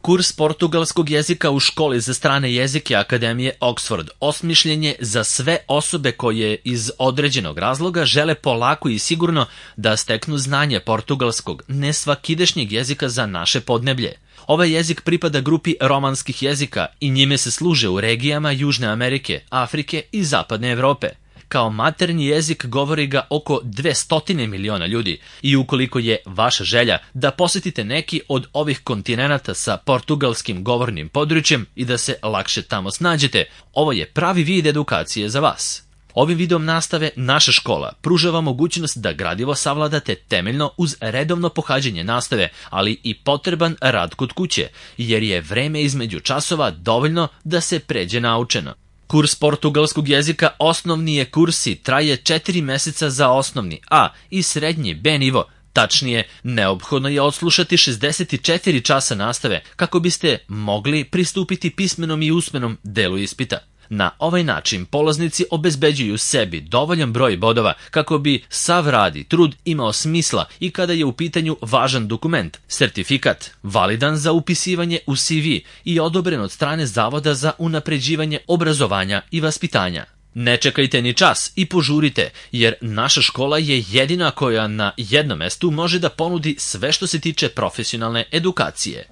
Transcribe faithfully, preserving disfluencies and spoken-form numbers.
Kurs portugalskog jezika u školi za strane jezike Akademije Oxford osmišljen je za sve osobe koje iz određenog razloga žele polako i sigurno da steknu znanje portugalskog, nesvakidašnjeg jezika za naše podneblje. Ovaj jezik pripada grupi romanskih jezika i njime se služe u regijama Južne Amerike, Afrike i Zapadne Evrope. Kao maternji jezik govori ga oko dvesta miliona ljudi i ukoliko je vaša želja da posetite neki od ovih kontinenata sa portugalskim govornim područjem i da se lakše tamo snađete, ovo je pravi vid edukacije za vas. Ovim vidom nastave naša škola pružava mogućnost da gradivo savladate temeljno uz redovno pohađanje nastave, ali i potreban rad kod kuće, jer je vreme između časova dovoljno da se pređe naučeno. Kurs portugalskog jezika osnovni je kurs i traje četiri meseca za osnovni A i srednji B nivo. Tačnije, neophodno je odslušati šezdeset četiri časa nastave kako biste mogli pristupiti pismenom i usmenom delu ispita. Na ovaj način polaznici obezbeđuju sebi dovoljan broj bodova kako bi sav rad i trud imao smisla i kada je u pitanju važan dokument, sertifikat, validan za upisivanje u C V i odobren od strane Zavoda za unapređivanje obrazovanja i vaspitanja. Ne čekajte ni čas i požurite, jer naša škola je jedina koja na jednom mestu može da ponudi sve što se tiče profesionalne edukacije.